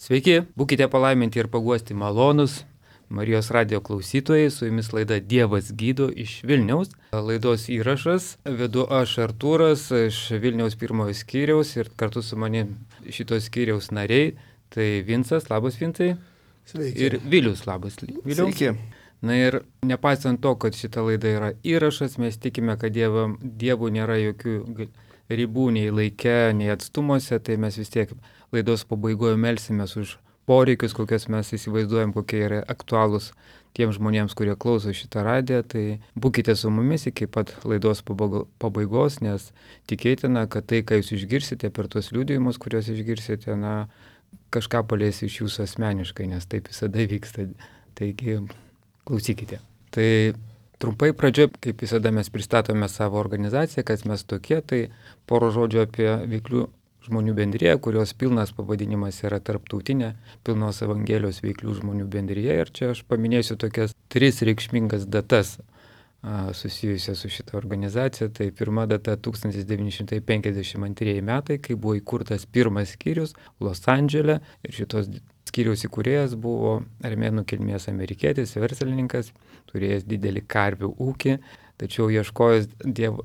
Sveiki, būkite palaiminti ir paguosti malonus Marijos radijo klausytojai, su jumis laida Dievas gydo iš Vilniaus. Laidos įrašas vedu aš Artūras iš Vilniaus pirmojo skyriaus ir kartu su manim šitos skyriaus nariai, tai Vincas, labas Vincai. Sveiki. Ir Vilius, labas Vilius. Sveiki. Na ir nepaisant to, kad šita laida yra įrašas, mes tikime, kad Dievų nėra jokių ribų nei laike, nei atstumuose, tai mes vis tiek laidos pabaigoje melsimės už poreikius, kokias mes įsivaizduojam, kokie yra aktualūs tiems žmonėms, kurie klauso šitą radiją. Tai būkite su mumis iki pat laidos pabaigos, nes tikėtina, kad tai, ką jūs išgirsite per tuos liudijimus, kuriuos išgirsite, kažką palies iš jūsų asmeniškai, nes taip visada vyksta. Taigi, klausykite. Tai trumpai pradžioje, kaip visada mes pristatome savo organizaciją, kas mes tokie, tai poro žodžių apie veiklių žmonių bendriją, kurios pilnas pavadinimas yra Tarptautinė pilnos Evangelijos veiklių žmonių bendrija. Ir čia aš paminėsiu tokias 3 reikšmingas datas susijusias su šitą organizaciją. Tai pirma data 1952 metai, kai buvo įkurtas pirmas skyrius Los Andžele. Ir šitos skyriaus įkūrėjas buvo armėnų kilmės amerikietis, verslininkas, turėjęs didelį karvių ūkį. Tačiau ieškojęs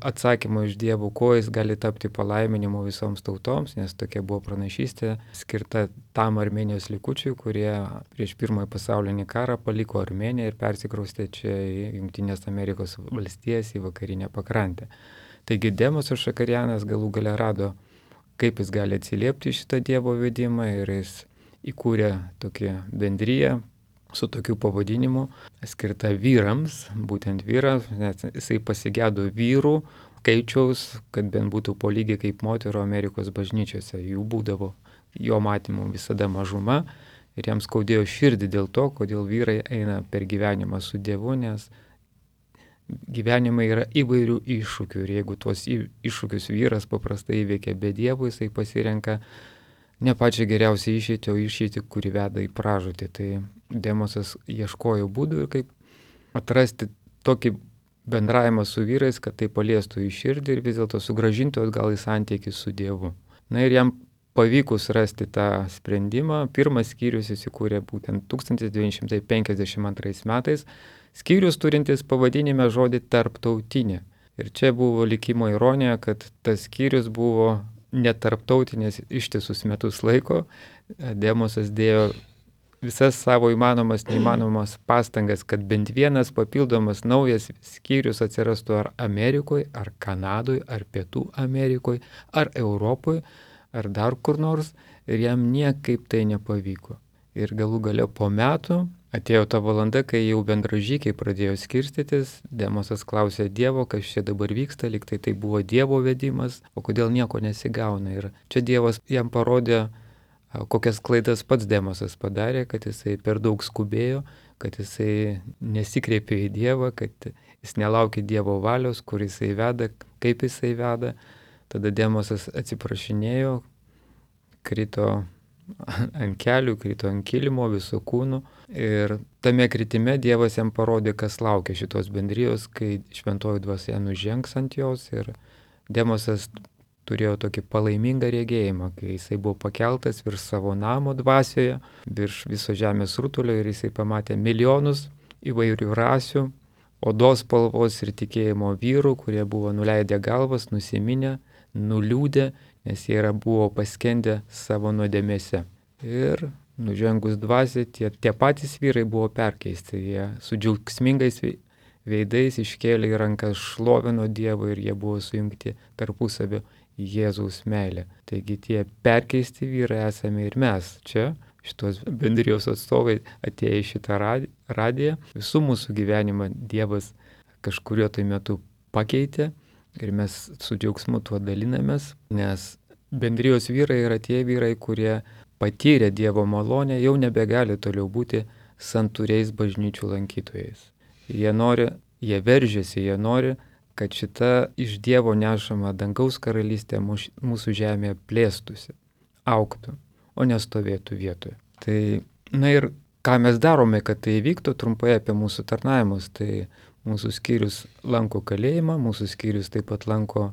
atsakymo iš Dievo, ko jis gali tapti palaiminimu visoms tautoms, nes tokia buvo pranašystė skirta tam Armėnijos likučiui, kurie prieš pirmąjį pasaulinį karą paliko Armėniją ir persikraustė čia į Jungtinės Amerikos valstijas, į vakarinę pakrantę. Taigi Demosas Šakarianas galų gale rado, kaip jis gali atsiliepti šitą Dievo vedimą ir jis įkūrė tokią bendriją su tokiu pavadinimu, skirta vyrams, būtent vyrams, nes jisai pasigėdo vyrų skaičiaus, kad bent būtų po lygiai kaip moterų Amerikos bažnyčiose. Jų būdavo jo matymu visada mažuma ir jam skaudėjo širdį dėl to, kodėl vyrai eina per gyvenimą su Dievu, nes gyvenime yra įvairių iššūkių ir jeigu tuos iššūkius vyras paprastai įveikia be Dievo, jisai pasirenka ne pačią geriausią išeitį, o išeitį, kuri veda į pražūtį. Tai Demosas ieškojo būdų ir kaip atrasti tokį bendravimą su vyrais, kad tai paliestų į širdį ir vis dėlto sugrąžintų atgal į santykį su Dievu. Na ir jam pavykus rasti tą sprendimą, pirmas skyrius įsikūrė būtent 1952 metais, skyrius turintis pavadinime žodį Tarptautinė. Ir čia buvo likimo ironija, kad tas skyrius buvo netarptautinės ištisus metus laiko. Demosas dėjo visas savo įmanomas, neįmanomas pastangas, kad bent vienas papildomas naujas skyrius atsirastų ar Amerikoje, ar Kanadoje, ar Pietų Amerikoje, ar Europoje, ar dar kur nors. Ir jam niekaip tai nepavyko. Ir galų gale po metų atėjo ta valanda, kai jau bendražykiai pradėjo skirstytis. Demosas klausė Dievo, kas čia dabar vyksta, lyg tai buvo Dievo vedimas, o kodėl nieko nesigauna. Ir čia Dievas jam parodė, kokias klaidas pats Demosas padarė, kad jisai per daug skubėjo, kad jisai nesikreipė į Dievą, kad jis nelaukė Dievo valios, kur jisai veda, kaip jisai veda. Tada Demosas atsiprašinėjo, krito ant kelių, krito ant kilimo visų kūnų. Ir tame kritime Dievas jam parodė, kas laukia šitos bendrijos, kai šventoji dvasia nužengs ant jos. Ir Demosas turėjo tokį palaimingą regėjimą, kai jisai buvo pakeltas virš savo namo dvasioje, virš viso žemės rutulio ir jisai pamatė milijonus įvairių rasių, odos spalvos ir tikėjimo vyrų, kurie buvo nuleidę galvas, nusiminę, nuliūdę, nes jie buvo paskendę savo nuodėmėse. Ir nužengus dvasiai, tie patys vyrai buvo perkeisti, jie su džiaugsmingais veidais iškėlė į rankas, šlovino Dievą ir jie buvo sujungti tarpusavio Jėzaus meilė. Taigi tie perkeisti vyrai esame ir mes čia, šitos bendrijos atstovai atėję į šitą radiją. Visų mūsų gyvenimą Dievas kažkurio tai metu pakeitė ir mes su džiaugsmu tuo dalinamės, nes bendrijos vyrai yra tie vyrai, kurie patyrė Dievo malonę, jau nebegali toliau būti santūriais bažnyčių lankytojais. Jie veržiasi, jie nori, kad šita iš Dievo nešama dangaus karalystė mūsų žemėje plėstųsi, augtų, o nestovėtų vietoje. Tai, ir ką mes darome, kad tai įvyktų, trumpai apie mūsų tarnavimus. Tai mūsų skyrius lanko kalėjimą, mūsų skyrius taip pat lanko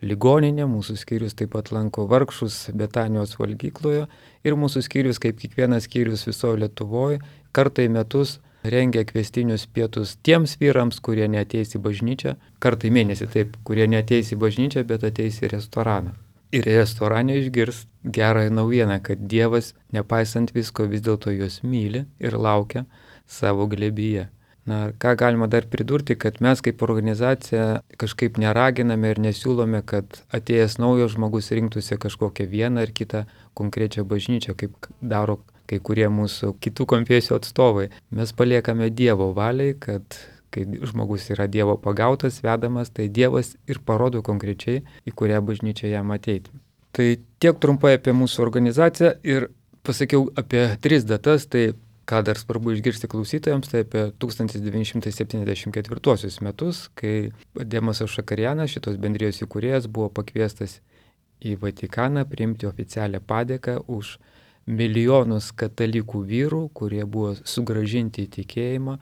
ligoninę, mūsų skyrius taip pat lanko vargšus Betanijos valgykloje ir mūsų skyrius, kaip kiekvienas skyrius visoje Lietuvoje, kartą į metus rengia kviestinius pietus tiems vyrams, kurie neateis į bažnyčią, kartą į mėnesį taip, kurie neateis į bažnyčią, bet ateis į restoraną. Ir restorane išgirs gerąją naujieną, kad Dievas, nepaisant visko, vis dėlto juos myli ir laukia savo glėbyje. Na, ką galima dar pridurti, kad mes kaip organizacija kažkaip neraginame ir nesiūlome, kad atėjęs naujas žmogus rinktųsi kažkokią vieną ar kitą konkrečią bažnyčią, kaip daro kai kurie mūsų kitų konfesijų atstovai. Mes paliekame Dievo valiai, kad kai žmogus yra Dievo pagautas, vedamas, tai Dievas ir parodo konkrečiai, į kurią bažnyčią jam ateiti. Tai tiek trumpai apie mūsų organizaciją ir pasakiau apie 3 datas, tai ką dar svarbu išgirsti klausytojams, tai apie 1974 metus, kai Demasas Šakarianas, šitos bendrijos įkūrėjas, buvo pakviestas į Vatikaną priimti oficialią padėką už milijonus katalikų vyrų, kurie buvo sugrąžinti į tikėjimą,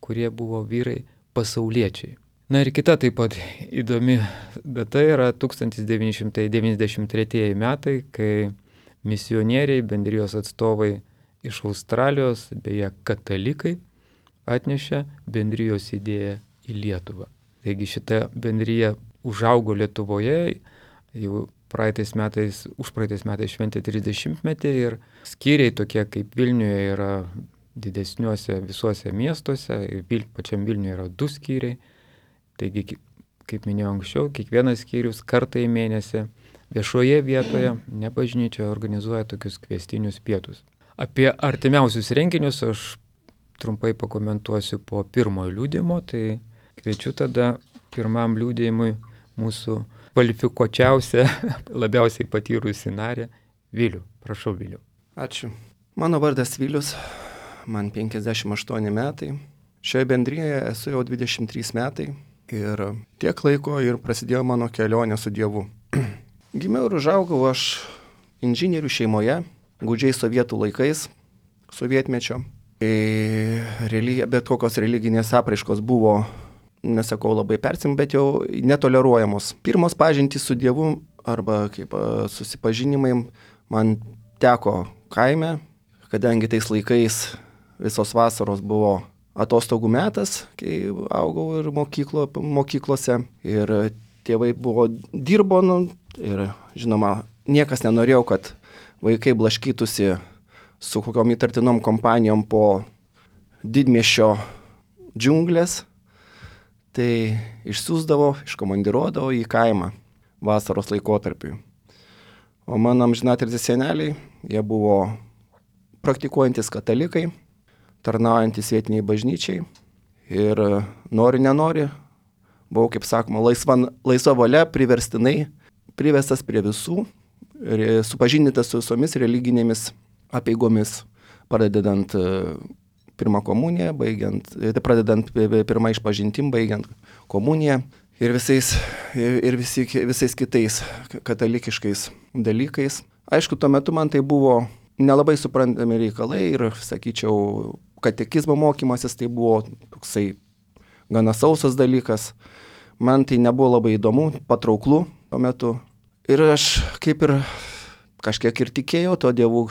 kurie buvo vyrai pasauliečiai. Na ir kita taip pat įdomi data yra 1993 metai, kai misionieriai, bendrijos atstovai iš Australijos, beje katalikai, atnešė bendrijos idėją į Lietuvą. Taigi šita bendrija užaugo Lietuvoje, jau užpraeitais metais šventė 30-metį ir skyriai tokie kaip Vilniuje yra didesniuose visuose miestuose, ir pačiam Vilniuje yra 2 skyriai. Taigi, kaip minėjau anksčiau, kiekvienas skyrius kartą į mėnesį viešoje vietoje, ne bažnyčioje, organizuoja tokius kviestinius pietus. Apie artimiausius renginius aš trumpai pakomentuosiu po pirmojo liudijimo, tai kviečiu tada pirmam liudijimui mūsų kvalifikuočiausią, labiausiai patyrusi narę Vilių. Prašau, Vilių. Ačiū. Mano vardas Vilius, man 58 metai. Šioje bendrijoje esu jau 23 metai ir tiek laiko ir prasidėjo mano kelionė su Dievu. Gimiau ir užaugau aš inžinierių šeimoje, gūdžiai sovietų laikais, sovietmečio. Bet kokios religinės apraiškos buvo, nesakau labai bet jau netoleruojamos. Pirmos pažintys su Dievu arba kaip susipažinimai man teko kaime, kadangi tais laikais visos vasaros buvo atostogų metas, kai augau ir mokyklose ir tėvai dirbo ir žinoma, niekas nenorėjo, kad vaikai blaškytųsi su kokiom įtartinom kompanijom po didmiesčio džiunglės. Tai iškomandiruodavo į kaimą vasaros laikotarpiui. O mano amžinatilsį seneliai, jie buvo praktikuojantis katalikai, tarnaujantis vietiniai bažnyčiai ir nori, nenori, buvau, kaip sakoma, laisva valia, priverstinai privestas prie visų, supažindintas su visomis religinėmis apeigomis, pradedant pirmą komuniją, pradedant pirmą išpažintim, baigiant komuniją ir visais kitais katalikiškais dalykais. Aišku, tuo metu man tai buvo nelabai suprantami reikalai ir, sakyčiau, katekizmo mokymasis tai buvo toksai gana sausas dalykas. Man tai nebuvo labai įdomu, patrauklu tuo metu. Ir aš kaip ir kažkiek ir tikėjau to Dievu,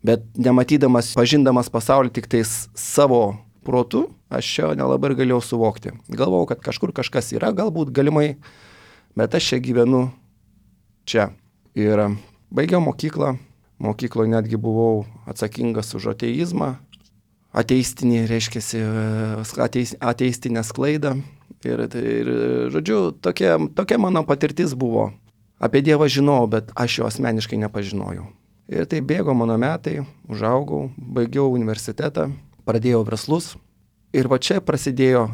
bet nematydamas, pažindamas pasaulį tik tais savo protu, aš čia nelabai ir galėjau suvokti. Galvojau, kad kažkur kažkas yra, galbūt galimai, bet aš čia gyvenu čia. Ir baigiau mokyklą. Mokykloje netgi buvau atsakingas už ateizmą, ateistinę sklaidą. Ir žodžiu, tokia mano patirtis buvo. Apie Dievą žinojau, bet aš jo asmeniškai nepažinojau. Ir tai bėgo mano metai, užaugau, baigiau universitetą, pradėjau verslus. Ir va čia prasidėjo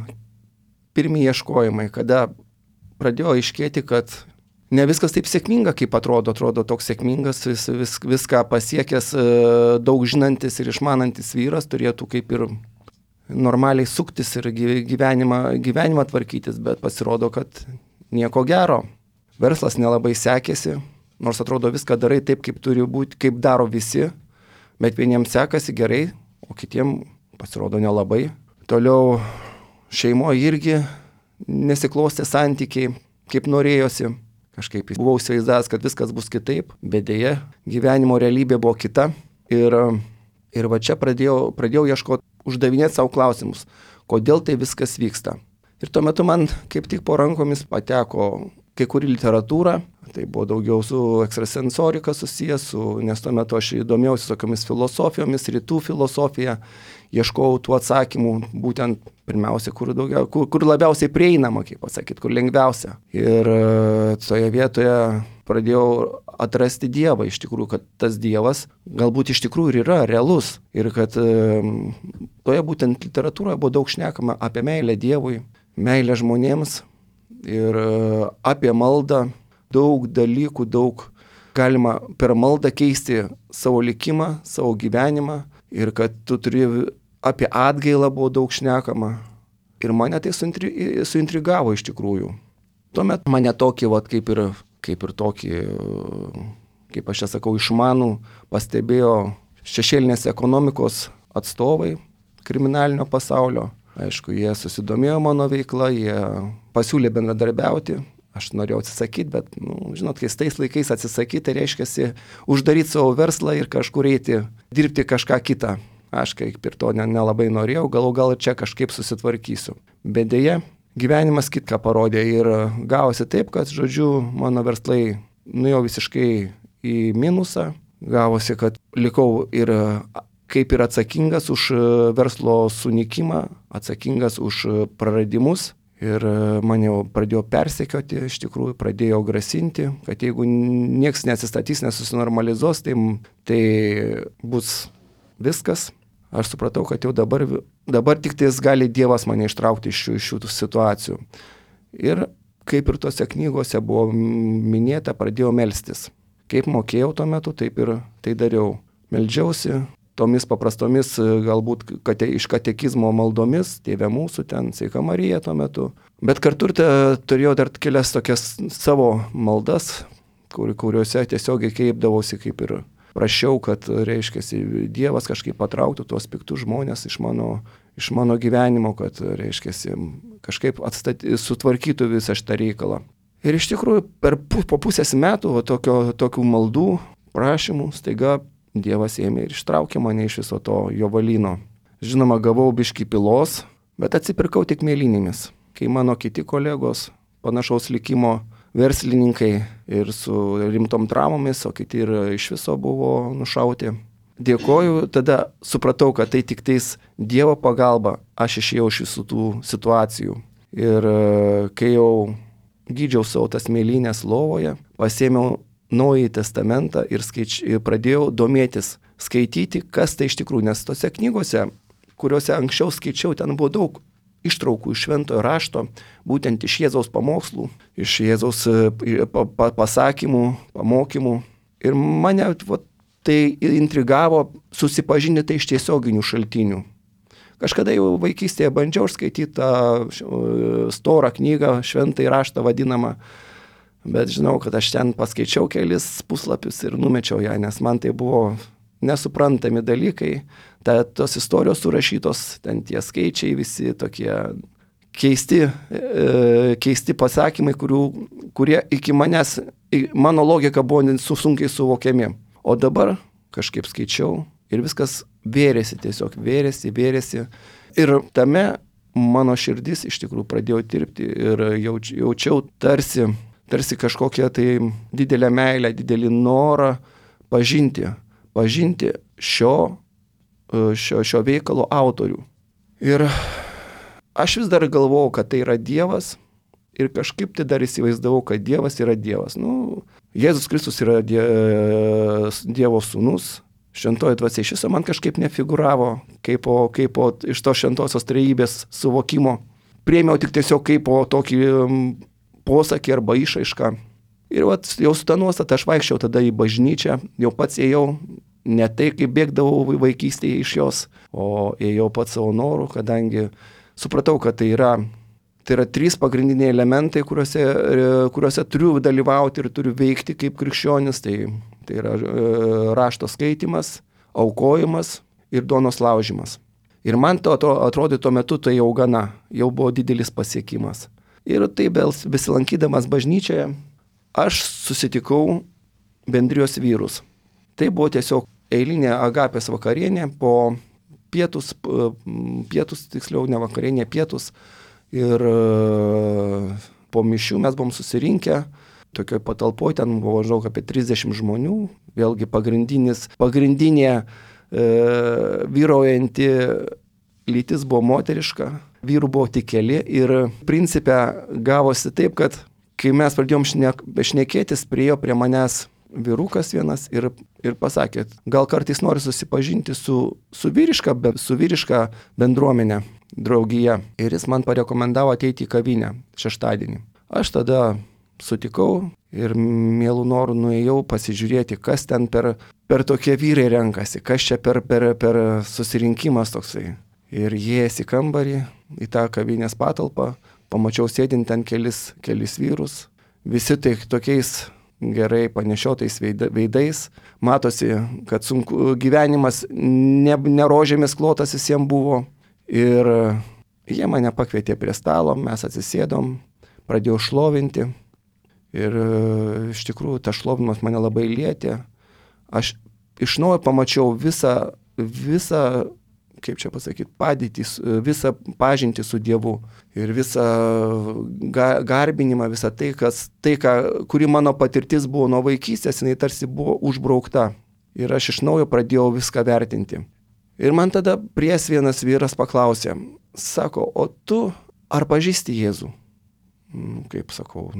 pirmi ieškojimai, kada pradėjo aiškėti, kad ne viskas taip sėkminga, kaip atrodo toks sėkmingas, viską pasiekęs, daug žinantis ir išmanantis vyras turėtų kaip ir normaliai suktis ir gyvenimą tvarkytis, bet pasirodo, kad nieko gero. Verslas nelabai sekėsi, nors atrodo viską darai taip, kaip turi būti, kaip daro visi, bet vieniems sekasi gerai, o kitiems pasirodo nelabai. Toliau šeimoje irgi nesiklostė santykiai, kaip norėjosi. Kažkaip buvau įsivaizdavęs, kad viskas bus kitaip, bet dėja, gyvenimo realybė buvo kita. Ir va čia pradėjau ieškoti, uždavinėti savo klausimus, kodėl tai viskas vyksta. Ir tuo metu man kaip tik po rankomis pateko kai kuri literatūra, tai buvo daugiau su ekstrasensorika susijęs, nes tuo metu aš įdomėjausi tokiamis filosofijomis, rytų filosofija, ieškojau tų atsakymų, būtent pirmiausia, kur labiausiai prieinama, kaip pasakyti, kur lengviausia. Ir toje vietoje pradėjau atrasti Dievą, iš tikrųjų, kad tas Dievas galbūt iš tikrųjų ir yra realus. Ir kad toje būtent literatūroje buvo daug šnekama apie meilę Dievui, meilę žmonėms ir apie maldą. Daug dalykų, daug galima per maldą keisti savo likimą, savo gyvenimą. Ir kad tu turi apie atgailą buvo daug šnekama. Ir mane tai suintrigavo iš tikrųjų. Tuomet mane tokį, kaip ir tokį, kaip aš čia sakau, išmanų pastebėjo šešėlinės ekonomikos atstovai kriminalinio pasaulio. Aišku, jie susidomėjo mano veikla, jie pasiūlė bendradarbiauti. Aš norėjau atsisakyti, bet, žinot, kai tais laikais atsisakyti, tai reiškia uždaryti savo verslą ir kažkur eiti, dirbti kažką kitą. Aš kaip ir to nelabai norėjau, gal ir čia kažkaip susitvarkysiu. Bet dėja, gyvenimas kitką parodė ir gavosi taip, kad, žodžiu, mano verslai nuėjo visiškai į minusą. Gavosi, kad likau ir kaip ir atsakingas už verslo sunykimą, atsakingas už praradimus. Ir mane jau pradėjo persekioti, iš tikrųjų pradėjo grasinti, kad jeigu nieks neatsistatys, nesusinormalizuos, tai bus viskas. Aš supratau, kad jau dabar tik tais gali Dievas mane ištraukti iš šių situacijų. Ir kaip ir tose knygose buvo minėta, pradėjau melstis. Kaip mokėjau tuo metu, taip ir tai dariau. Meldžiausi tomis paprastomis, galbūt iš katekizmo maldomis, Tėve mūsų ten, Sveika Marija tuo metu. Bet kartu turėjau dar kelias tokias savo maldas, kuriuose tiesiog kreipdavausi kaip ir prašiau, kad, reiškia, Dievas kažkaip patrauktų tuos piktus žmonės iš mano gyvenimo, kad, reiškia, kažkaip sutvarkytų visą šitą reikalą. Ir iš tikrųjų, po pusės metų tokių maldų, prašymų, staiga Dievas ėmė ir ištraukė mane iš viso to jovalyno. Žinoma, gavau biškį pilos, bet atsipirkau tik mėlynėmis. Kai mano kiti kolegos, panašaus likimo verslininkai ir su rimtom traumomis, o kiti ir iš viso buvo nušauti. Dėkoju, tada supratau, kad tai tik tais Dievo pagalba aš išėjau iš visų tų situacijų. Ir kai jau gydžiau savo tas mėlynės lovoje, pasėmiau Naująjį testamentą ir pradėjau domėtis, skaityti, kas tai iš tikrųjų, nes tose knygose, kuriuose anksčiau skaičiau, ten buvo daug ištraukų iš Šventojo rašto, būtent iš Jėzaus pamokslų, iš Jėzaus pasakymų, pamokymų. Ir mane tai intrigavo susipažinti tai iš tiesioginių šaltinių. Kažkada jau vaikystėje bandžiau skaityti tą storą knygą, Šventąjį raštą vadinamą, bet žinau, kad aš ten paskaičiau kelis puslapius ir numečiau ją, nes man tai buvo nesuprantami dalykai. Tos istorijos surašytos, ten tie skaičiai visi tokie keisti pasakymai, kurie iki manęs, mano logika buvo sunkiai suvokiami. O dabar kažkaip skaičiau ir viskas tiesiog vėrėsi. Ir tame mano širdis iš tikrųjų pradėjo tirpti ir jaučiau tarsi kažkokią tai didelę meilę, didelį norą pažinti šio veikalo autorių. Ir aš vis dar galvojau, kad tai yra Dievas ir kažkaip tai dar įsivaizdavau, kad Dievas yra Dievas. Jėzus Kristus yra Dievo sūnus, šventoji dvasia iš viso man kažkaip nefiguravo, kaip iš to šventosios trejybės suvokimo. Priėmiau tik tiesiog kaip po tokį posakį arba išraišką. Ir jau su ta nuostata aš vaikščiau tada į bažnyčią, jau pats ėjau, ne tai kaip bėgdavau vaikystėje iš jos, o ėjau pats savo norų, kadangi supratau, kad tai yra 3 pagrindiniai elementai, kuriuose turiu dalyvauti ir turiu veikti kaip krikščionis. Tai yra rašto skaitimas, aukojimas ir duonos laužimas. Ir man to atrodė tuo metu tai jau buvo didelis pasiekimas. Ir taip besilankydamas bažnyčioje, aš susitikau bendrijos vyrus. Tai buvo tiesiog eilinė Agapės vakarienė, po pietus, tiksliau ne vakarienė, pietus. Ir po mišių mes buvom susirinkę, tokioj patalpoje, ten buvo žinau apie 30 žmonių, vėlgi pagrindinė vyraujanti lytis buvo moteriška, vyrų buvo tik keli ir principe gavosi taip, kad kai mes pradėjom šnekėtis, priėjo prie manęs vyrukas vienas ir pasakė, gal kartais nori susipažinti su vyriška bendruomenė, draugija. Ir jis man parekomendavo ateiti į kavinę šeštadienį. Aš tada sutikau ir mielų norų nuėjau pasižiūrėti, kas ten per tokie vyrai renkasi, kas čia per susirinkimas toksai. Ir įėjęs į kambarį, į tą kavinės patalpą, pamačiau sėdint ten kelis vyrus, visi tai tokiais gerai panešiotais veidais. Matosi, kad sunku gyvenimas ne rožėmis klotas visiems buvo. Ir jie mane pakvietė prie stalo, mes atsisėdom, pradėjau šlovinti. Ir iš tikrųjų tas šlovinimas mane labai lietė. Aš iš naujo pamačiau visą kaip čia pasakyti, padėtį, visą pažintį su Dievu ir visą garbinimą, visą kuri mano patirtis buvo nuo vaikystės, jinai tarsi buvo užbraukta. Ir aš iš naujo pradėjau viską vertinti. Ir man tada pries vienas vyras paklausė, sako, o tu ar pažįsti Jėzų? Kaip sakau,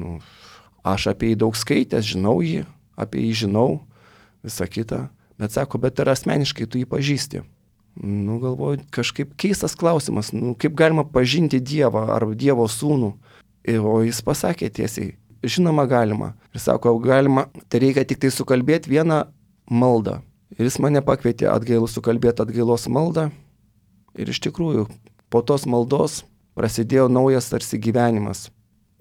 aš apie jį daug skaitęs, žinau jį, apie jį žinau, visą kitą, bet sako, bet ar asmeniškai tu jį pažįsti? Galvoju, kažkaip keistas klausimas, kaip galima pažinti Dievą ar Dievo sūnų. O jis pasakė tiesiai, žinoma galima. Ir sako, galima, tai reikia tik tai sukalbėti vieną maldą. Ir jis mane pakvietė sukalbėti atgailos maldą. Ir iš tikrųjų, po tos maldos prasidėjo naujas tarsi gyvenimas.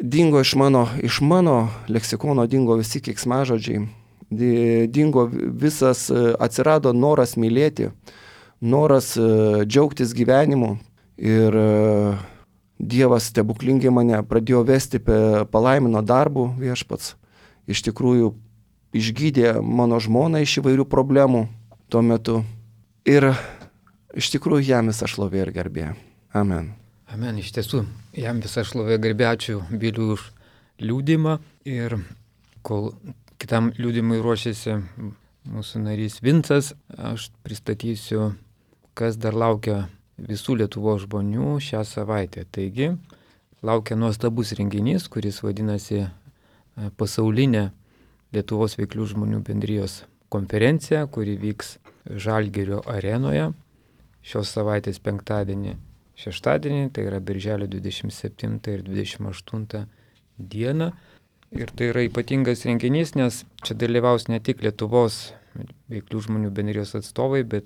Dingo iš mano leksikono dingo visi keiksmažodžiai. Dingo visas, atsirado noras mylėti, noras džiaugtis gyvenimu ir Dievas stebuklingai mane pradėjo vesti palaimino darbų viešpats. Iš tikrųjų išgydė mano žmoną iš įvairių problemų tuo metu. Ir iš tikrųjų jam visa šlovė ir garbė. Amen. Amen, iš tiesų, jam visa šlovė ir garbė. Ačiū Biliui už liudymą. Ir kol kitam liudymui ruošiasi mūsų narys Vincas, aš pristatysiu, kas dar laukia visų Lietuvos žmonių šią savaitę. Taigi, laukia nuostabus renginys, kuris vadinasi pasaulinė Lietuvos veiklių žmonių bendrijos konferencija, kuri vyks Žalgirio arenoje šios savaitės penktadienį, šeštadienį, tai yra birželio 27 ir 28 dieną. Ir tai yra ypatingas renginys, nes čia dalyvaus ne tik Lietuvos veiklių žmonių bendrijos atstovai, bet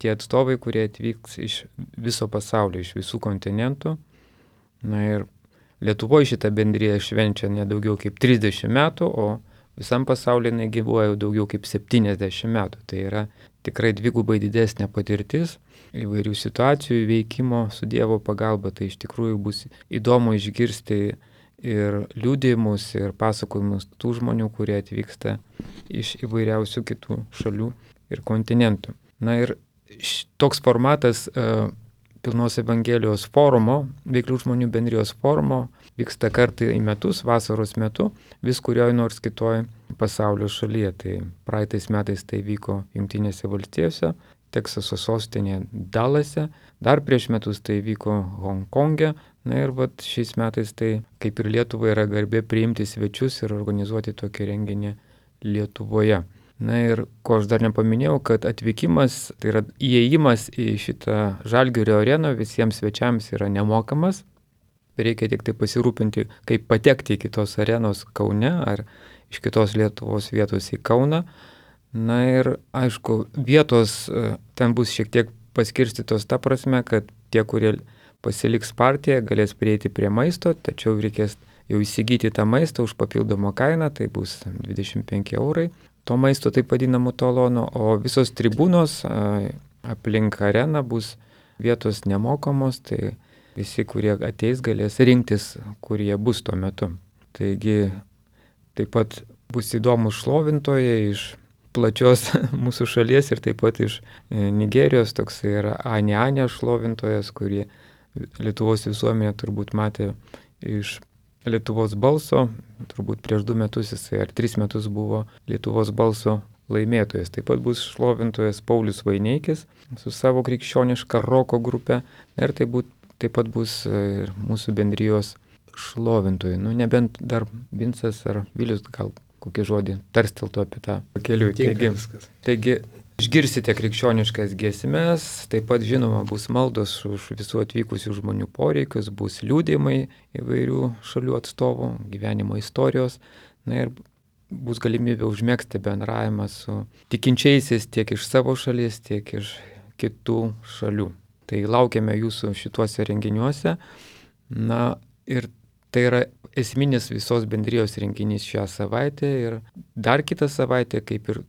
tie atstovai, kurie atvyks iš viso pasaulio, iš visų kontinentų. Na ir Lietuvoje šitą bendriją švenčia nedaugiau kaip 30 metų, o visam pasaulyje negyvuoja daugiau kaip 70 metų. Tai yra tikrai dvigubai didesnė patirtis įvairių situacijų veikimo su Dievo pagalba. Tai iš tikrųjų bus įdomu išgirsti ir liudijimus, ir pasakojimus tų žmonių, kurie atvyksta iš įvairiausių kitų šalių ir kontinentų. Na ir toks formatas Pilnos Evangelijos forumo, veiklių žmonių bendrijos forumo, vyksta kartą į metus, vasaros metu, vis kurioje nors kitoje pasaulio šalyje. Tai praeitais metais tai vyko Jungtinėse valstijose, Teksaso sostinėje Dallase, dar prieš metus tai vyko Honkonge. Na ir šiais metais tai, kaip ir Lietuvoje, yra garbė priimti svečius ir organizuoti tokį renginį Lietuvoje. Na ir ko aš dar nepaminėjau, kad atvykimas, tai yra įėjimas į šitą Žalgirio areną visiems svečiams yra nemokamas. Reikia tik tai pasirūpinti, kaip patekti į kitos arenos Kaune ar iš kitos Lietuvos vietos į Kauną. Na ir aišku, vietos ten bus šiek tiek paskirstytos ta prasme, kad tie, kurie pasiliks partiją, galės prieiti prie maisto, tačiau reikės jau įsigyti tą maistą už papildomą kainą, tai bus 25 eurai. To maisto taip vadinamo talono, o visos tribūnos aplink areną bus vietos nemokamos, tai visi, kurie ateis, galės rinktis, kur jie bus tuo metu. Taigi taip pat bus įdomus šlovintojai iš plačios mūsų šalies ir taip pat iš Nigerijos, toks yra Ane šlovintojas, kurį Lietuvos visuomenė turbūt matė iš Lietuvos balso, turbūt prieš 2 metus jisai ar 3 metus buvo Lietuvos balso laimėtojas. Taip pat bus šlovintojas Paulius Vaineikis su savo krikščioniška roko grupe ir taip pat bus ir mūsų bendrijos šlovintojai. Nebent dar Vincas ar Vilius gal kokį žodį tarsteltų apie tą pakeliui. Taigi išgirsite krikščioniškas giesmes, taip pat žinoma bus maldos už visų atvykusių žmonių poreikius, bus liudijimai įvairių šalių atstovų, gyvenimo istorijos, ir bus galimybė užmegzti bendravimą su tikinčiaisiais tiek iš savo šalies, tiek iš kitų šalių. Tai laukiame jūsų šituose renginiuose. Ir tai yra esminis visos bendrijos renginys šią savaitę ir dar kitą savaitę, kaip ir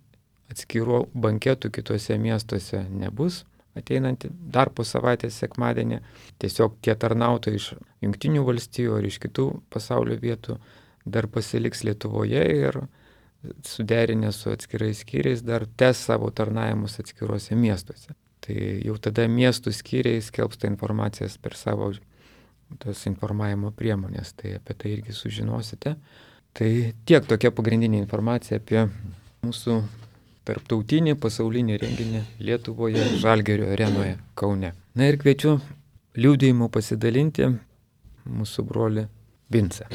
atskirų banketų kitose miestuose nebus, ateinantį dar po savaitės sekmadienį. Tiesiog tie tarnautojai iš Jungtinių valstijų ar iš kitų pasaulio vietų dar pasiliks Lietuvoje ir suderinę su atskirais skyriais dar tęs savo tarnavimus atskiruose miestuose. Tai jau tada miestų skyriai skelbs tą informacijas per savo tas informavimo priemonės, tai apie tai irgi sužinosite. Tai tiek tokia pagrindinė informacija apie mūsų tarptautinį pasaulinį renginį Lietuvoje, Žalgirio arenoje Kaune. Ir kviečiu liudijimu pasidalinti mūsų brolį Vincą.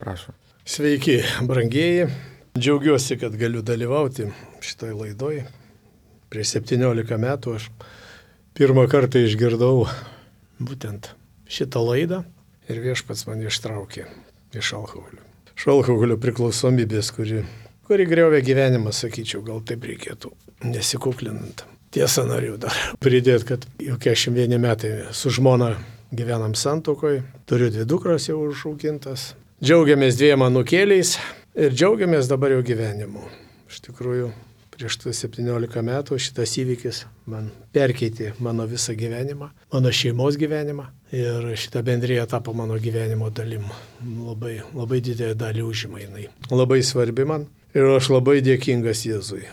Prašom. Sveiki, brangieji. Džiaugiuosi, kad galiu dalyvauti šitoj laidoj. Prieš 17 metų aš pirmą kartą išgirdau būtent šitą laidą ir Viešpats mane ištraukė iš alkoholio. Iš alkoholio priklausomybės, kuri griovė gyvenimą, sakyčiau, gal taip reikėtų, nesikuklinant. Tiesa, noriu dar pridėti, kad jau 41 metai su žmona gyvenam santuokoje, turiu 2 dukros jau užaugintas, džiaugiamės 2 anūkėliais ir džiaugiamės dabar jau gyvenimu. Iš tikrųjų, prieš 17 metų šitas įvykis man perkeitė mano visą gyvenimą, mano šeimos gyvenimą ir šita bendrija tapo mano gyvenimo dalim. Labai didelę dalį užima jinai. Labai svarbi man ir aš labai dėkingas Jėzui.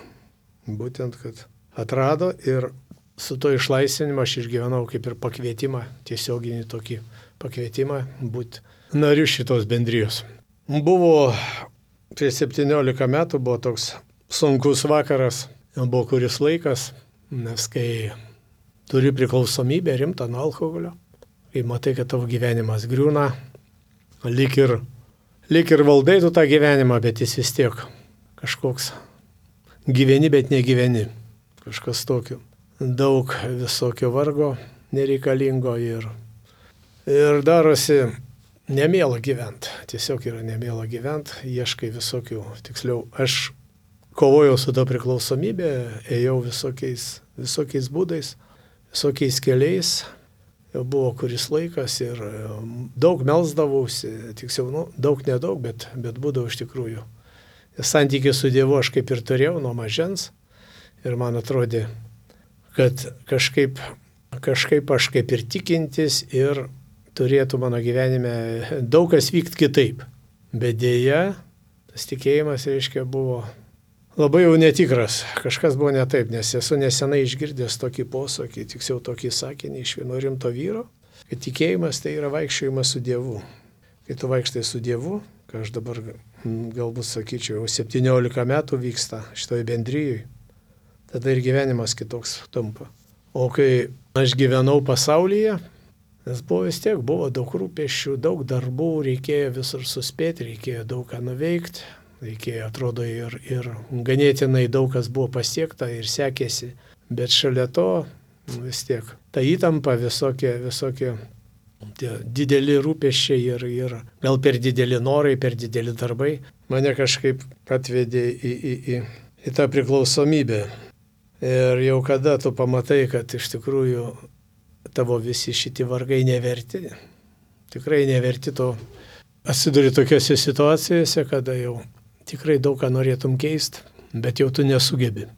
Būtent, kad atrado ir su to išlaisvinimu aš išgyvenau kaip ir pakvietimą, tiesioginį tokį pakvietimą būti nariu šitos bendrijos. Prieš 17 metų buvo toks sunkus vakaras, buvo kuris laikas, nes kai turi priklausomybę rimtą nuo alkoholio, kai matai, kad tavo gyvenimas griūna, lyg ir valdai tu tą gyvenimą, bet jis vis tiek kažkoks gyveni, bet negyveni, kažkas tokio. Daug visokio vargo nereikalingo ir darosi nemėla gyventi, tiesiog yra nemėla gyventi, ieškai visokių, tiksliau, aš kovojau su to priklausomybė, ėjau visokiais būdais, visokiais keliais. Jau buvo kuris laikas ir daug melsdavausi, tiksliau, daug nedaug, bet būdavau iš tikrųjų. Santykį su Dievu aš kaip ir turėjau nuo mažens ir man atrodė, kad kažkaip aš kaip ir tikintis ir turėtų mano gyvenime daug kas vykti kitaip. Bet dėja, tas tikėjimas, reiškia, buvo labai jau netikras, kažkas buvo ne taip, nes esu nesenai išgirdęs tokį posakį, tiksliau tokį sakinį iš vieno rimto vyro, kad tikėjimas tai yra vaikščiojimas su Dievu. Kai tu vaikštai su Dievu, ką aš dabar galbūt sakyčiau, jau 17 metų vyksta šitoj bendrijai, tada ir gyvenimas kitoks tampa. O kai aš gyvenau pasaulyje, nes buvo daug rūpesčių, daug darbų, reikėjo visur suspėti, reikėjo daug ką nuveikti. Reikėjo, atrodo, ir ganėtinai daug kas buvo pasiekta ir sekėsi, bet šalia to vis tiek ta įtampa visokie tie dideli rūpesčiai ir gal per dideli norai, per dideli darbai mane kažkaip atvedė į tą priklausomybę. Ir jau kada tu pamatai, kad iš tikrųjų tavo visi šitie vargai neverti, tikrai neverti to, atsiduri tokiose situacijose, kada jau tikrai daug ką norėtum keisti, bet jau tu nesugebi.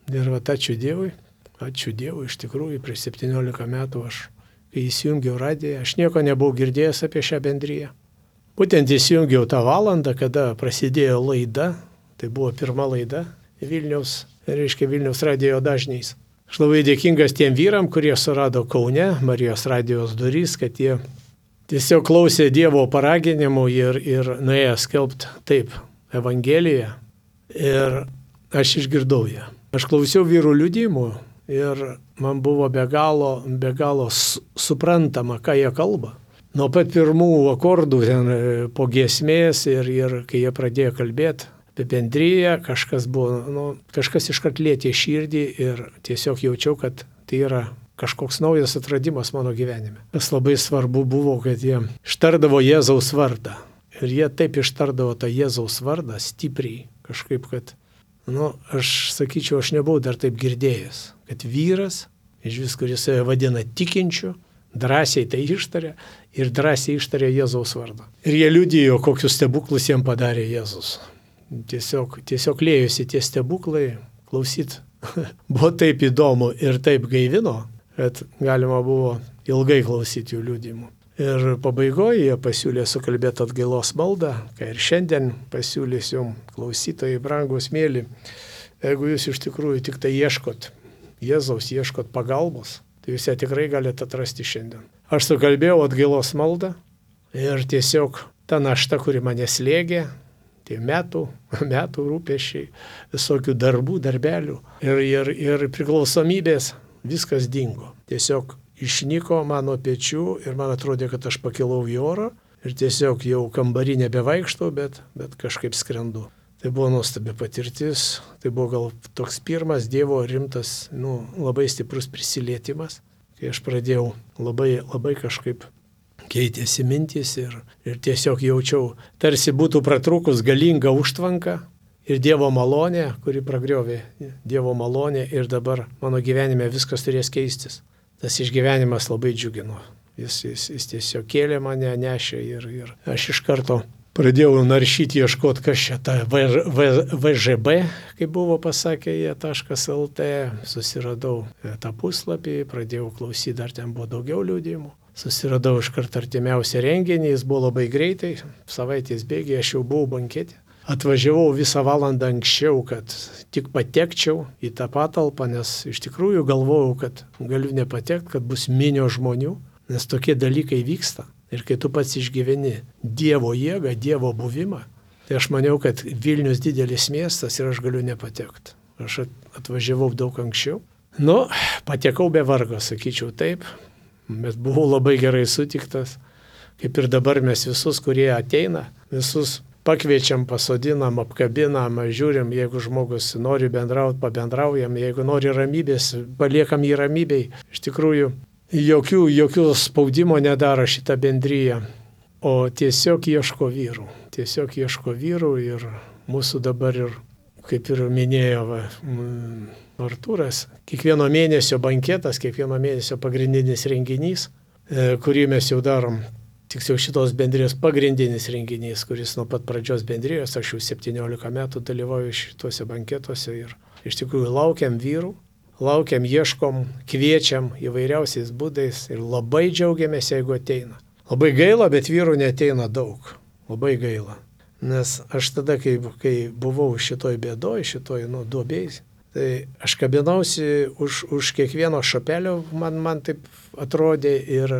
Ir ačiū Dievui, iš tikrųjų, prieš 17 metų aš kai įsijungiau radiją, aš nieko nebuvau girdėjęs apie šią bendriją. Būtent įsijungiau tą valandą, kada prasidėjo laida, tai buvo pirma laida Vilniaus radijo dažniais. Aš labai dėkingas tiem vyram, kurie surado Kaune Marijos radijos durys, kad jie tiesiog klausė Dievo paraginimų ir nuėjo skelbti taip Evangeliją. Ir aš išgirdau ją. Aš klausiau vyrų liudijimų ir man buvo be galo suprantama, ką jie kalba. Nuo pat pirmų akordų ten po giesmės ir kai jie pradėjo kalbėti apie bendriją, kažkas iškart lietė širdį ir tiesiog jaučiau, kad tai yra kažkoks naujas atradimas mano gyvenime. Kas labai svarbu buvo, kad jie ištardavo Jėzaus vardą. Ir jie taip ištardavo tą Jėzaus vardą stipriai, kažkaip, kad, aš sakyčiau, aš nebuvau dar taip girdėjęs, kad vyras, iš vis, kuris save vadina tikinčiu, drąsiai tai ištarė ir drąsiai ištarė Jėzaus vardą. Ir jie liudijo, kokius stebuklus jiems padarė Jėzus. Tiesiog lėjosi tie stebuklai, klausyt. Buvo taip įdomu ir taip gaivino, kad galima buvo ilgai klausyti jų liudijimų. Ir pabaigoje jie pasiūlė sukalbėti atgailos maldą, ką ir šiandien pasiūlysiu klausytojai, brangus mėly. Jeigu jūs iš tikrųjų tik tai ieškot Jėzaus, ieškot pagalbos, tai jūs ją tikrai galite atrasti šiandien. Aš sukalbėjau atgailos maldą ir tiesiog ta našta, kuri mane slėgė, tie metų rūpesčiai, visokių darbelių ir priklausomybės, viskas dingo. Tiesiog išnyko mano pečių ir man atrodė, kad aš pakilau į orą ir tiesiog jau kambarį nebevaikštau, bet kažkaip skrendu. Tai buvo nuostabi patirtis, tai buvo gal toks pirmas Dievo rimtas, labai stiprus prisilietimas, kai aš pradėjau labai kažkaip keitėsi mintys ir tiesiog jaučiau, tarsi būtų pratrūkus galinga užtvanka ir Dievo malonė, kuri pragriovė Dievo malonė ir dabar mano gyvenime viskas turės keistis. Tas išgyvenimas labai džiugino. Jis tiesiog kėlė mane, nešė ir aš iš karto pradėjau naršyti, ieškoti, kas čia ta VŽB, kaip buvo pasakę jie, .lt, susiradau tą puslapį, pradėjau klausyti, dar ten buvo daugiau liudijimų. Susiradau iš karto artimiausią renginį, jis buvo labai greitai, savaitės bėgiai, aš jau buvau bankete. Atvažiavau visą valandą anksčiau, kad tik patekčiau į tą patalpą, nes iš tikrųjų galvojau, kad galiu nepatekti, kad bus minio žmonių, nes tokie dalykai vyksta. Ir kai tu pats išgyveni Dievo jėgą, Dievo buvimą, tai aš maniau, kad Vilnius didelis miestas ir aš galiu nepatekti. Aš atvažiavau daug anksčiau. Patekau be vargo, sakyčiau taip, bet buvau labai gerai sutiktas. Kaip ir dabar mes visus, kurie ateina, visus pakviečiam, pasodinam, apkabinam, žiūrim, jeigu žmogus nori bendrauti, pabendraujam, jeigu nori ramybės, paliekam jį ramybei. Iš tikrųjų, jokių spaudimo nedaro šitą bendriją, o tiesiog ieško vyrų ir mūsų dabar ir, kaip ir minėjo Artūras, kiekvieno mėnesio banketas, kiekvieno mėnesio pagrindinis renginys, kurį mes jau darom, tiksliau šitos bendrijos pagrindinis renginys, kuris nuo pat pradžios bendrijos, aš jau 17 metų dalyvauju šituose banketuose ir iš tikrųjų laukiam vyrų. Laukiam, ieškom, kviečiam įvairiausiais būdais ir labai džiaugiamės, jeigu ateina. Labai gaila, bet vyrų neateina daug. Labai gaila. Nes aš tada, kai buvau šitoj bėdoj, šitoj duobėjai, tai aš kabinausi už kiekvieno šapelio, man taip atrodė ir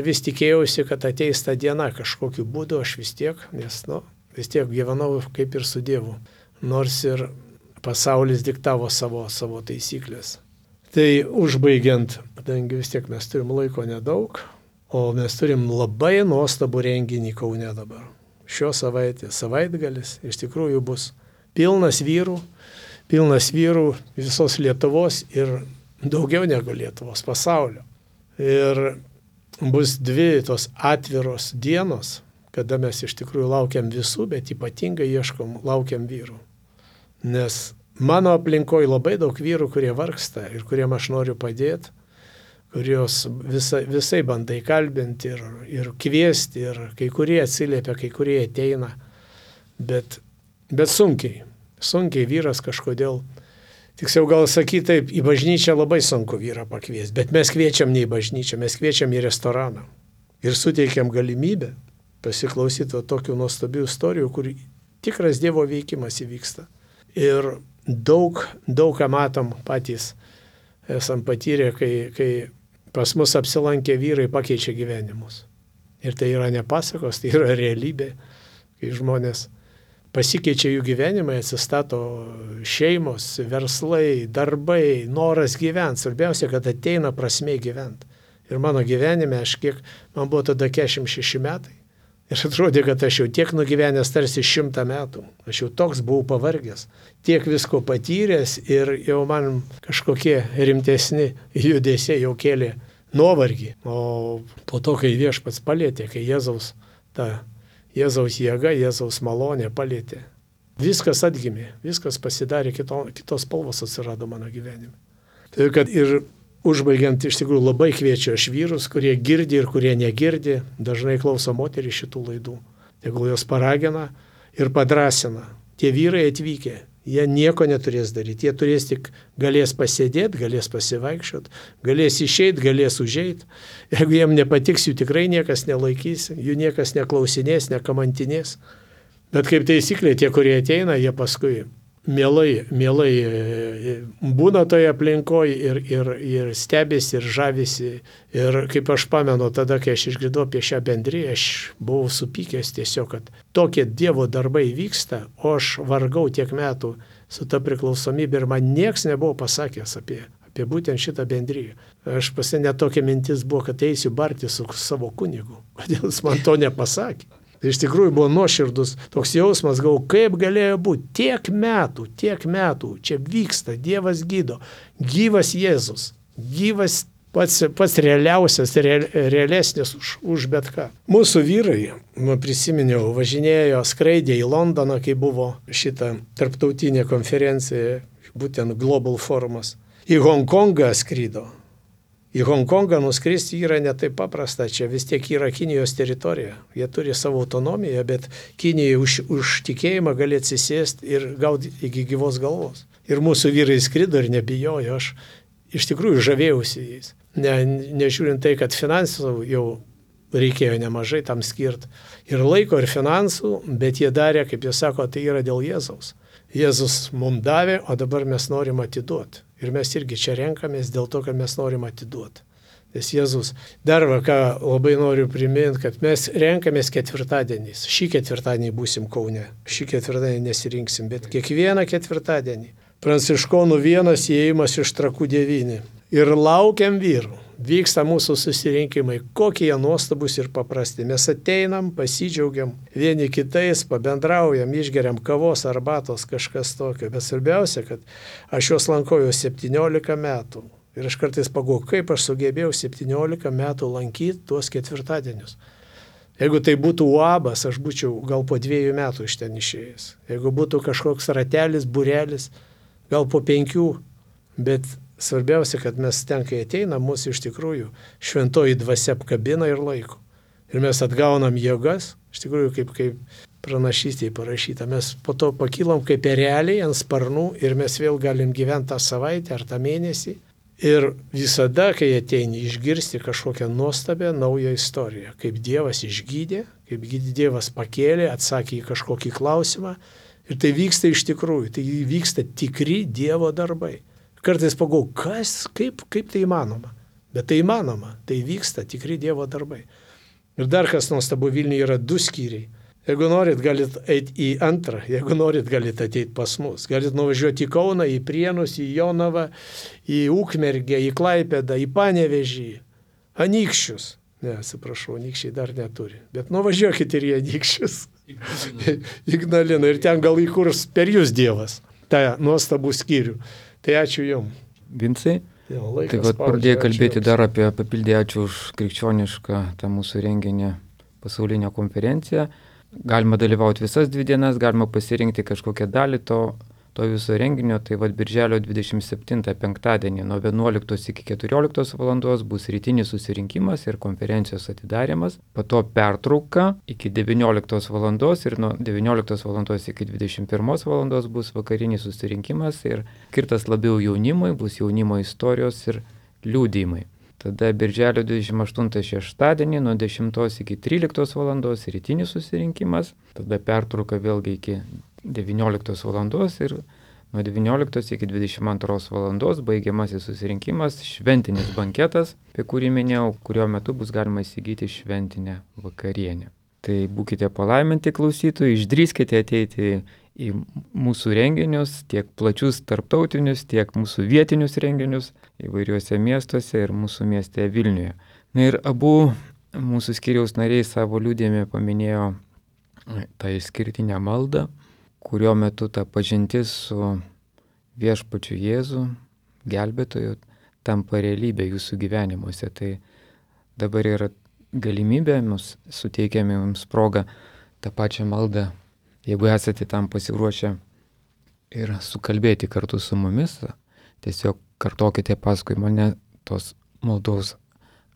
vis tikėjausi, kad ateis ta diena kažkokiu būdu, aš vis tiek gyvenau kaip ir su Dievu. Nors ir pasaulis diktavo savo taisyklės. Tai užbaigiant, kadangi vis tiek mes turim laiko nedaug, o mes turim labai nuostabų renginį Kaune dabar. Šios savaitgalis iš tikrųjų bus pilnas vyrų visos Lietuvos ir daugiau negu Lietuvos, pasaulio. Ir bus 2 tos atviros dienos, kada mes iš tikrųjų laukiam visų, bet ypatingai laukiam vyrų. Nes mano aplinkoje labai daug vyrų, kurie vargsta ir kuriem aš noriu padėti, kurios visai bandai kalbinti ir kviesti, ir kai kurie atsiliepia, kai kurie ateina, bet sunkiai vyras kažkodėl Tiksliau gal sakyti taip, į bažnyčią labai sunku vyrą pakviesti, bet mes kviečiam ne į bažnyčią, mes kviečiam į restoraną. Ir suteikiam galimybę pasiklausyti tokių nuostabių istorijų, kur tikras Dievo veikimas įvyksta. Ir daug ką matom patys, esam patyrę, kai pas mus apsilankę vyrai pakeičia gyvenimus. Ir tai yra ne pasakos, tai yra realybė, kai žmonės pasikeičia jų gyvenimai, atsistato šeimos, verslai, darbai, noras gyventi. Svarbiausia, kad ateina prasmė gyventi. Ir mano gyvenime, man buvo tada 46 metai. Ir atrodė, kad aš jau tiek nugyvenęs tarsi 100 metų. Aš jau toks buvau pavargęs, tiek visko patyręs ir jau man kažkokie rimtesni judesiai jau kėlė nuovargį. O po to, kai Viešpats palėtė, kai Jėzaus jėga, Jėzaus malonė palėtė, viskas atgimė, viskas pasidarė, kitos spalvos atsirado mano gyvenime. Tai kad ir užbaigiant, iš tikrųjų labai kviečiu aš vyrus, kurie girdi ir kurie negirdi, dažnai klauso moterį šitų laidų. Tegul jos paragina ir padrasina. Tie vyrai atvykę, jie nieko neturės daryti, jie galės pasėdėti, galės pasivaikščioti, galės išeiti, galės užeiti. Jeigu jiem nepatiks, jų tikrai niekas nelaikys, jų niekas neklausinės, nekamantinės. Bet kaip taisyklė, tie, kurie ateina, jie paskui mielai būna toje aplinkoje ir stebėsi, ir žavisi. Ir kaip aš pamenu, tada, kai aš išgirdau apie šią bendriją, aš buvau supykęs tiesiog, kad tokie Dievo darbai vyksta, o aš vargau tiek metų su ta priklausomybė ir man nieks nebuvo pasakęs apie būtent šitą bendriją. Aš net tokia mintis buvo, kad eisiu barti su savo kunigu. Kodėl jis man to nepasakė? Tai iš tikrųjų buvo nuoširdus toks jausmas, kaip galėjo būti tiek metų, čia vyksta, Dievas gydo, gyvas Jėzus, gyvas pats realiausias, realesnis už bet ką. Mūsų vyrai, prisiminiau, važinėjo, skraidė į Londoną, kai buvo šita tarptautinė konferencija, būtent Global Forumas. Į Hongkongą skrydo. Į Hongkongą nuskristi yra ne taip paprasta, čia vis tiek yra Kinijos teritorija. Jie turi savo autonomiją, bet Kinijai už tikėjimą gali atsisėsti ir gauti iki gyvos galvos. Ir mūsų vyrai skrido ir nebijojo, aš iš tikrųjų žavėjausi jais. Nežiūrint tai, kad finansų jau reikėjo nemažai tam skirti. Ir laiko, ir finansų, bet jie darė, kaip jie sako, tai yra dėl Jėzaus. Jėzus mums davė, o dabar mes norim atiduoti. Ir mes irgi čia renkamės dėl to, kad mes norim atiduoti. Nes Jėzus, dar ką labai noriu priminti, kad mes renkamės ketvirtadieniais. Šį ketvirtadienį būsim Kaune, šį ketvirtadienį nesirinksim, bet kiekvieną ketvirtadienį. Pranciškonų vienas įėjimas iš Trakų 9. Ir laukiam vyrų. Vyksta mūsų susirinkimai, kokie jie nuostabus ir paprasti. Mes ateinam, pasidžiaugiam, vieni kitais, pabendraujam, išgeriam kavos, arbatos, kažkas tokio. Bet svarbiausia, kad aš juos lankau jau 17 metų. Ir aš kartais pagalvoju, kaip aš sugebėjau 17 metų lankyti tuos ketvirtadienius. Jeigu tai būtų UABas, aš būčiau gal po 2 metų iš ten išėjęs. Jeigu būtų kažkoks ratelis, būrelis, gal po 5, bet svarbiausia, kad mes ten, kai ateinam, mūsų iš tikrųjų šventoji dvasia apkabina ir laiko. Ir mes atgaunam jėgas, iš tikrųjų kaip pranašystėje parašyta. Mes po to pakylam kaip ereliai ant sparnų ir mes vėl galim gyventi tą savaitę ar tą mėnesį. Ir visada, kai ateini, išgirsti kažkokią nuostabią naują istoriją. Kaip Dievas išgydė, kaip Dievas pakėlė, atsakė į kažkokį klausimą. Ir tai vyksta iš tikrųjų, tai vyksta tikri Dievo darbai. Kartais pagalvoju, kaip tai įmanoma. Bet tai įmanoma, tai vyksta tikri Dievo darbai. Ir dar kas nuostabu, Vilniuje yra 2 skyriai. Jeigu norit, galit eiti į antrą, jeigu norit, galit ateiti pas mus. Galit nuvažiuoti į Kauną, į Prienus, į Jonavą, į Ukmergę, į Klaipėdą, į Panevėžį, Anykščius. Ne, atsiprašau, Anykščiai dar neturi. Bet nuvažiuokit ir į Anykščius. Ignaliną. Ir ten gal įkurs per jūs Dievas. tą nuostabų skyrių. Tai ačiū Jums. Vincai, tai pradėjai kalbėti dar apie papildį, ačiū už krikščionišką tą mūsų renginį pasaulinę konferenciją. Galima dalyvauti visas 2 dienas, galima pasirinkti kažkokią dalį to to viso renginio, tai birželio 27 penktadienį nuo 11 iki 14 valandos bus rytinis susirinkimas ir konferencijos atidarimas, po to pertrauka iki 19 valandos ir nuo 19 valandos iki 21 valandos bus vakarinis susirinkimas ir skirtas labiau jaunimui, bus jaunimo istorijos ir liudijimai. Tada birželio 28 šeštadienį nuo 10 iki 13 valandos rytinis susirinkimas, tada pertrauka vėlgi iki 19 valandos ir nuo 19 iki 22 valandos baigiamasis susirinkimas, šventinis banketas, apie kurį minėjau, kurio metu bus galima įsigyti šventinę vakarienę. Tai būkite palaiminti klausytojai, išdrįskite ateiti į mūsų renginius, tiek plačius tarptautinius, tiek mūsų vietinius renginius įvairiuose miestuose ir mūsų mieste Vilniuje. Na ir abu mūsų skyriaus nariai savo liudijime paminėjo tą išskirtinę maldą, kurio metu ta pažintis su viešpačiu Jėzu, gelbėtoju, tampa realybė jūsų gyvenimuose. Tai dabar yra galimybė, mums suteikiame jums progą tą pačią maldą, jeigu esate tam pasiruošę ir sukalbėti kartu su mumis, tiesiog kartokite paskui mane tos maldos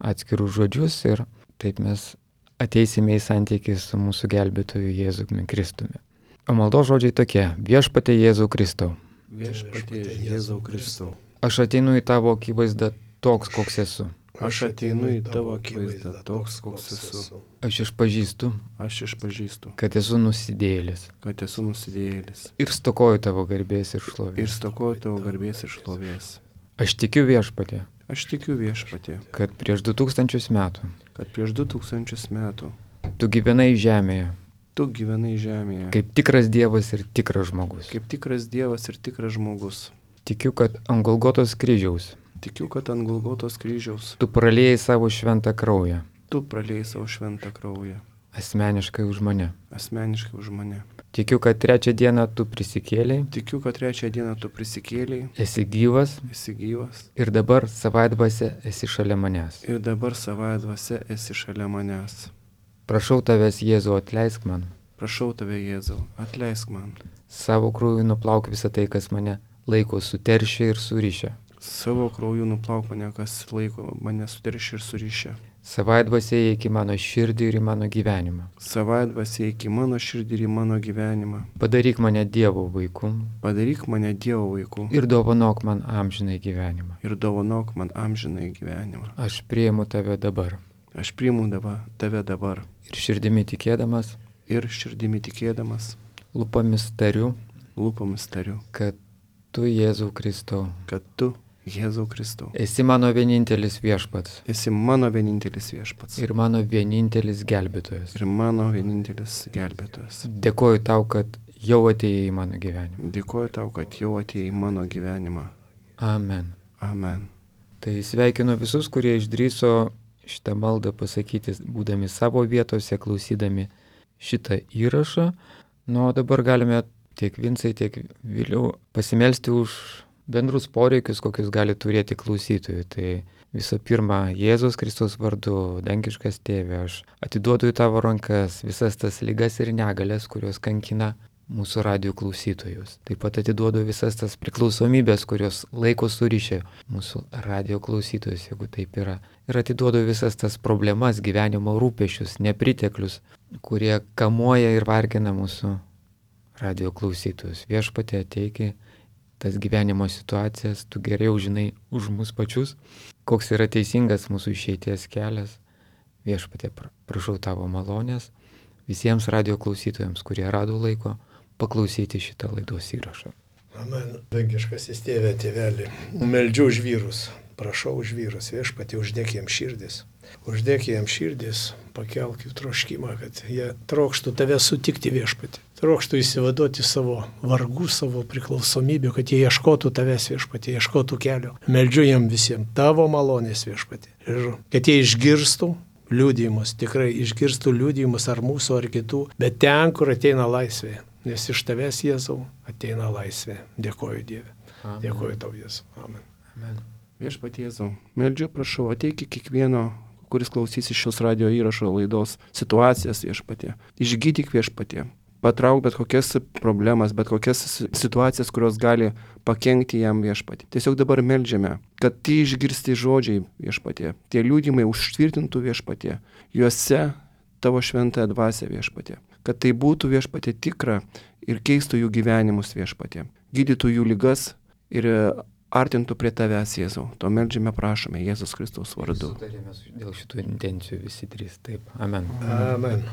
atskirus žodžius ir taip mes ateisime į santykį su mūsų gelbėtoju Jėzumi Kristumi. O maldos žodžiai tokie: Viešpatie Jėzau Kristau. Viešpatie Jėzau Kristau. Aš ateinu į tavo akivaizdą toks, koks esu. Aš ateinu į tavo akivaizdą toks, koks esu. Aš išpažįstu, kad esu nusidėjėlis ir stokoju tavo garbės ir šlovės. Aš tikiu viešpatie, kad prieš 2000 metų tu gyvenai žemėje. Kaip tikras Dievas ir tikras žmogus. Tikiu, kad ant Golgotos kryžiaus tu praliejai savo šventą kraują. Asmeniškai už mane. Tikiu, kad trečią dieną tu prisikėlei. Esi gyvas. Ir dabar savaitdvasia esi šalia manęs. Prašau tavęs, Jėzau, atleisk man. Savo krauju nuplauk visą tai, kas mane laiko suteršę ir surišę. Savaitdvasia įeik į mano širdį ir į mano gyvenimą. Padaryk mane Dievo vaiku. Ir dovanok man amžinai gyvenimą. Aš priimu tave dabar. Ir širdimi tikėdamas, lūpomis tariu, kad tu, Jėzau Kristau, esi mano vienintelis viešpats. Ir mano vienintelis gelbėtojas. Dėkoju tau, kad jau atėjai į mano gyvenimą. Amen. Tai sveikinu visus, kurie išdrįso šitą maldą pasakyti, būdami savo vietose, klausydami šitą įrašą. Nu, o dabar galime tiek Vincai, tiek vėliau pasimelsti už bendrus poreikius, kokius gali turėti klausytojai. Tai visų pirma, Jėzus Kristaus vardu, dangiškas Tėve, aš atiduodu į tavo rankas visas tas ligas ir negalias, kurios kankina mūsų radijo klausytojus. Taip pat atiduodu visas tas priklausomybės, kurios laiko surišė mūsų radijo klausytojus, jeigu taip yra. Ir atiduodu visas tas problemas, gyvenimo rūpesčius, nepriteklius, kurie kamuoja ir vargina mūsų radijo klausytojus. Viešpatie, ateik tas gyvenimo situacijas, tu geriau žinai už mus pačius, koks yra teisingas mūsų išeities kelias. Viešpatie, prašau tavo malonės visiems radijo klausytojams, kurie rado laiko paklausyti šitą laidos įrašą. Amen. Dangiškasis Tėve, Tėveli, meldžiu už vyrus, prašau už vyrus, Viešpatie, uždėk jiems širdis, pakelk jų troškimą, kad jie trokštų tave sutikti, Viešpatie, trokštų įsivaduoti savo vargų, savo priklausomybių, kad jie ieškotų tavęs, Viešpatie, ieškotų kelio. Meldžiu jiem visiems tavo malonės, Viešpatie, ir kad jie išgirstų liudijimus, tikrai išgirstų liudijimus ar mūsų, ar kitų, bet ten, kur ateina laisvė. Nes iš tavęs, Jėzau, ateina laisvė. Dėkoju, Dieve. Amen. Dėkoju tau, Jėzau. Amen. Viešpatie Jėzau, meldžiu, prašau, ateik kiekvieno, kuris klausysi šios radio įrašo laidos situacijas, Viešpatie. Išgydyk, Viešpatie. patrauk bet kokias problemas, bet kokias situacijas, kurios gali pakenkti jam Viešpatie. Tiesiog dabar meldžiame, kad tie išgirsti žodžiai Viešpatie, tie liudymai užtvirtintų Viešpatie, juose tavo šventąją dvasią Viešpatie, kad tai būtų Viešpatie tikra ir keistų jų gyvenimus Viešpatie, gydytų jų ligas ir artintų prie tavęs, Jėzau. To meldžiame, prašome, Jėzus Kristaus vardu. Sutarėme dėl šitų intencijų visi trys. Taip. Amen. Amen.